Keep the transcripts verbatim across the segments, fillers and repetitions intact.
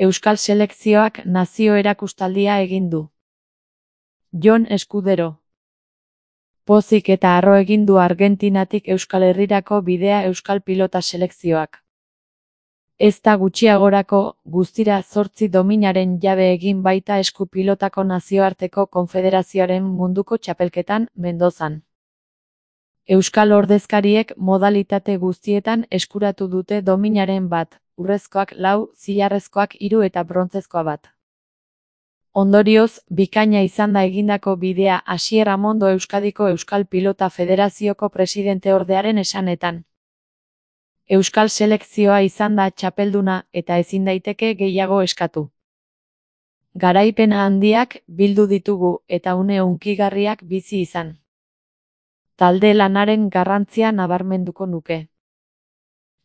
Euskal selekzioak nazio erakustaldia egin du. Jon Eskudero. Pozik eta harro egin du Argentinatik Euskal Herrirako bidea euskal pilota selekzioak. Ez da gutxiagorako, guztira zortzi dominaren jabe egin baita esku pilotako nazioarteko konfederazioaren munduko txapelketan, Mendozan. Euskal ordezkariek modalitate guztietan eskuratu dute dominaren bat, urrezkoak lau, zilarrezkoak hiru eta brontzezkoa bat. Ondorioz, bikaina izan da egindako bidea Asier Amondo Euskadiko Euskal Pilota Federazioko presidenteordearen esanetan. Euskal selekzioa izan da txapelduna eta ezin daiteke gehiago eskatu. Garaipena handiak bildu ditugu eta une hunkigarriak bizi izan. Talde lanaren garrantzia nabarmenduko nuke.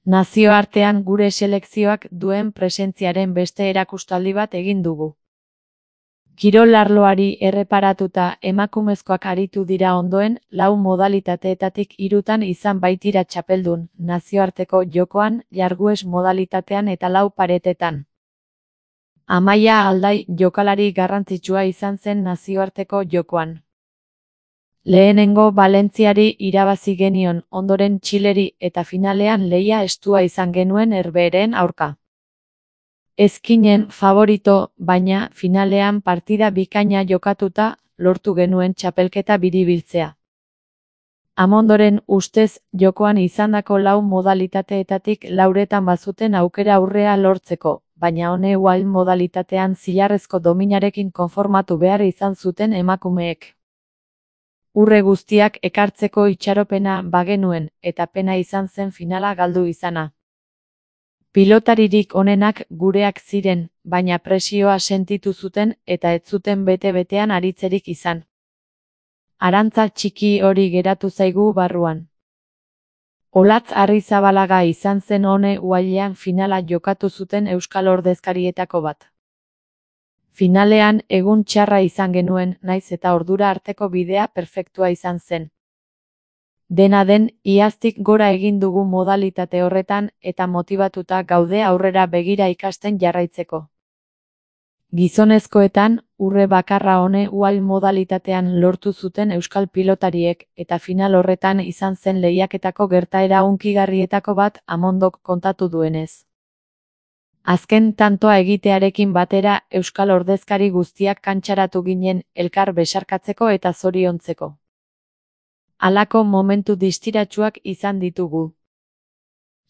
Nazioartean gure selekzioak duen presentziaren beste erakustaldi bat egin dugu. Kirol arloari erreparatuta emakumezkoak aritu dira ondoen, lau modalitateetatik hirutan izan baitira txapeldun, nazioarteko jokoan, jargues modalitatean eta lau paretetan. Amaia Aldai jokalari garrantzitsua izan zen nazioarteko jokoan. Lehenengo Valentziari irabazi genion, ondoren Txileri eta finalean lehia estua izan genuen Herberen aurka. Ezkinen favorito, baina finalean partida bikaina jokatuta, lortu genuen txapelketa biribiltzea. Amondoren ustez, jokoan izandako lau modalitateetatik lauretan bazuten aukera aurrea lortzeko, baina one wild modalitatean zilarrezko dominarekin konformatu behar izan zuten emakumeek. Urre guztiak ekartzeko itxaropena bagenuen, eta pena izan zen finala galdu izana. Pilotaririk onenak gureak ziren, baina presioa sentitu zuten eta ez zuten bete-betean aritzerik izan. Arantza txiki hori geratu zaigu barruan. Olatz Arrizabalaga izan zen one wilean finala jokatu zuten euskal ordezkarietako bat. Finalean egun txarra izan genuen, naiz eta ordura arteko bidea perfektua izan zen. Dena den, iaztik gora egin dugu modalitate horretan eta motibatuta gaude aurrera begira ikasten jarraitzeko. Gizonezkoetan, urre bakarra one wild modalitatean lortu zuten euskal pilotariek eta final horretan izan zen lehiaketako gertaera hunkigarrietako bat Amondok kontatu duenez. Azken tantoa egitearekin batera euskal ordezkari guztiak kantxaratu ginen elkar besarkatzeko eta zoriontzeko. Halako momentu distiratsuak izan ditugu.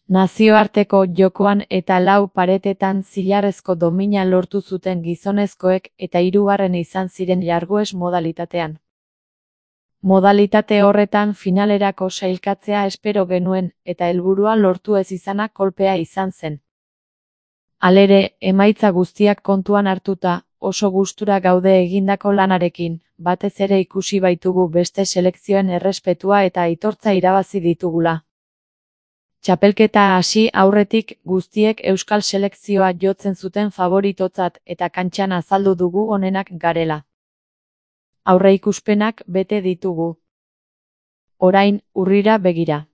Nazioarteko jokoan eta lau paretetan zilarrezko domina lortu zuten gizonezkoek eta hirugarren izan ziren jargues modalitatean. Modalitate horretan finalerako sailkatzea espero genuen eta helburua lortu ez izana kolpea izan zen. Halere, emaitza guztiak kontuan hartuta, oso gustura gaude egindako lanarekin, batez ere ikusi baitugu beste selekzioen errespetua eta aitortza irabazi ditugula. Txapelketa hasi aurretik guztiek euskal selekzioa jotzen zuten favoritotzat eta kantxan azaldu dugu onenak garela. Aurreikuspenak bete ditugu. Orain, urrira begira.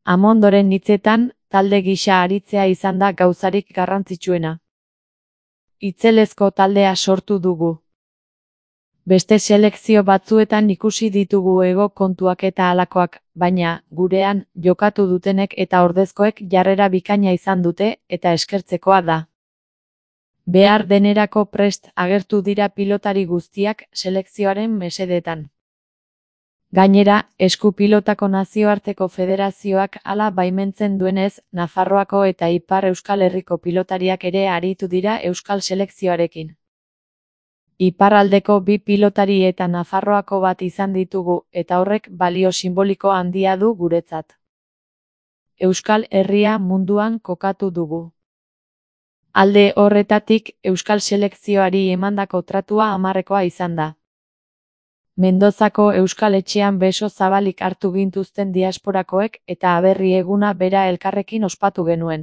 Amondoren hitzetan, talde gisa aritzea izan da gauzarik garrantzitsuena. Itzelezko taldea sortu dugu. Beste selekzio batzuetan ikusi ditugu ego kontuak eta halakoak, baina, gurean, jokatu dutenek eta ordezkoek jarrera bikaina izan dute eta eskertzekoa da. Behar denerako prest agertu dira pilotari guztiak selekzioaren mesedetan. Gainera, esku pilotako nazioarteko federazioak hala baimentzen duenez, Nafarroako eta Ipar Euskal Herriko pilotariak ere aritu dira euskal selekzioarekin. Iparraldeko bi pilotari eta Nafarroako bat izan ditugu eta horrek balio simboliko handia du guretzat. Euskal Herria munduan kokatu dugu. Alde horretatik, euskal selekzioari emandako tratua hamarrekoa izan da. Mendozako euskal etxean beso zabalik hartu gintuzten diasporakoek eta aberri eguna bera elkarrekin ospatu genuen.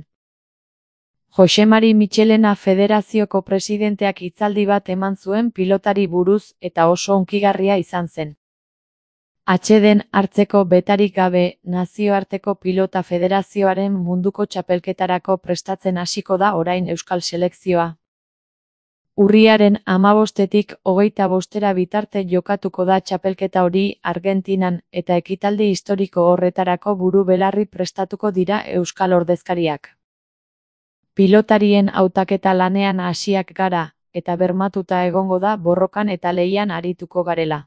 Josemari Michelena federazioko presidenteak hitzaldi bat eman zuen pilotari buruz eta oso hunkigarria izan zen. Atxeden hartzeko betarik gabe, Nazioarteko Pilota Federazioaren munduko txapelketarako prestatzen hasiko da orain euskal selekzioa. Urriaren hamabostetik hogeita bostera bitarte jokatuko da txapelketa hori Argentinan eta ekitaldi historiko horretarako buru belarri prestatuko dira euskal ordezkariak. Pilotarien hautaketa lanean hasiak gara, eta bermatuta egongo da borrokan eta lehian arituko garela.